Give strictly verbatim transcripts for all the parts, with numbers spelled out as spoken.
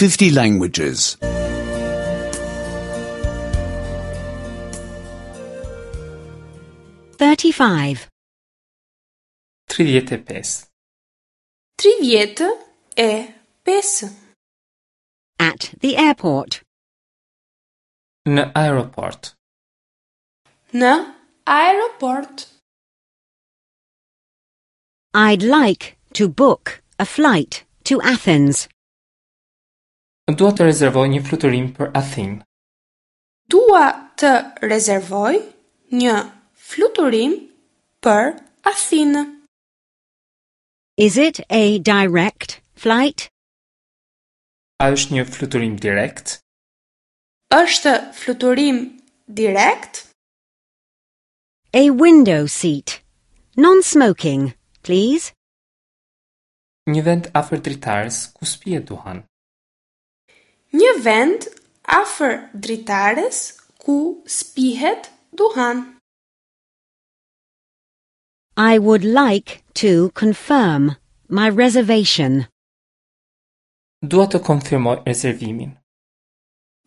fifty languages. thirty-five. tridhjetë e pesë. Tridhjetë e pesë. At the airport. Në aeroport. Në aeroport. I'd like to book a flight to Athens. Dua të rezervoj një fluturim për Athinë. Dua të rezervoj një fluturim për Athinë. Is it a direct flight? A është një fluturim direkt? Është fluturim direkt? A window seat. Non-smoking, please. Një vend afër dritares ku s'pije duhan. Një vend afër dritares ku s'pihet duhan. I would like to confirm my reservation. Dua të konfirmoj rezervimin.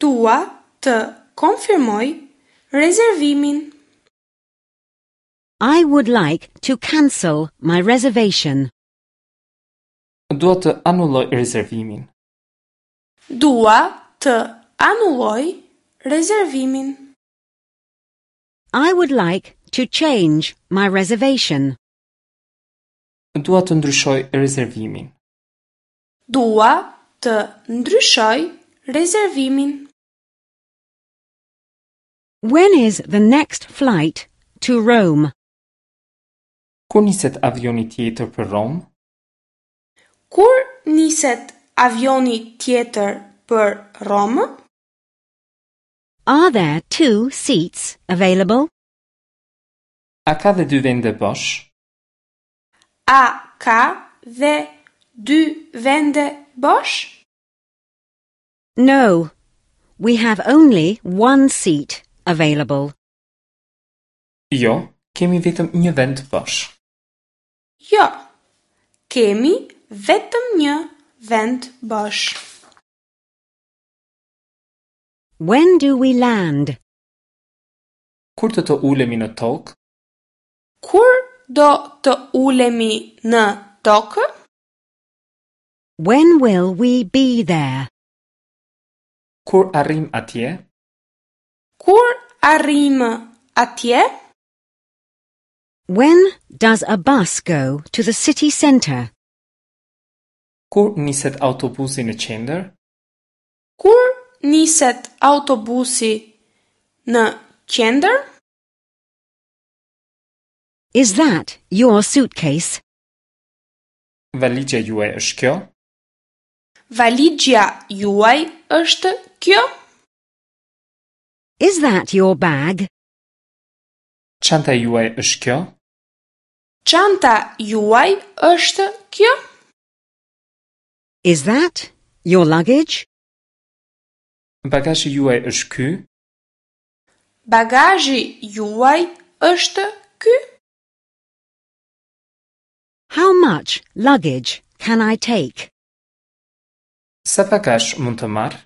Dua të konfirmoj rezervimin. I would like to cancel my reservation. Dua të anulloj rezervimin. Dua të anulloj rezervimin. I would like to change my reservation. Dua të ndryshoj rezervimin. Dua të ndryshoj rezervimin. When is the next flight to Rome? Kur niset avioni tjetër për Romë? Kur niset avioni tjetër për Romë? Are there two seats available? A ka dhe dy vende bosh? A ka dhe dy vende bosh? No, we have only one seat available. Jo, kemi vetëm një vend bosh. Jo, kemi vetëm një vend bosh. When do we land? Kur do të ulemi në tokë? Kur do të ulemi në tokë? When will we be there? Kur arrim atje? Kur arrim atje? When does a bus go to the city center? Kur niset autobusi në qendër? Kur niset autobusi në qendër? Is that your suitcase? Valixha juaj është kjo? Valixha juaj është kjo? Is that your bag? Çanta juaj është kjo? Çanta juaj është kjo? Is that your luggage? Bagazhi juaj është ky? Bagazhi juaj është ky? How much luggage can I take? Sa bagazh mund të marr?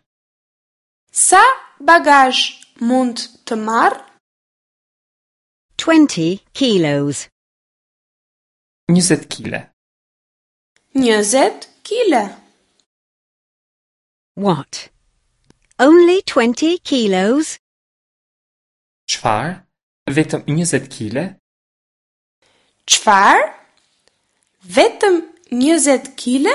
Sa bagazh mund të marr? Twenty kilos. njëzet kile. Njëzet kile. What? Only twenty kilos? Çfarë? Vetëm njëzet kile? Çfarë? Vetëm njëzet kile?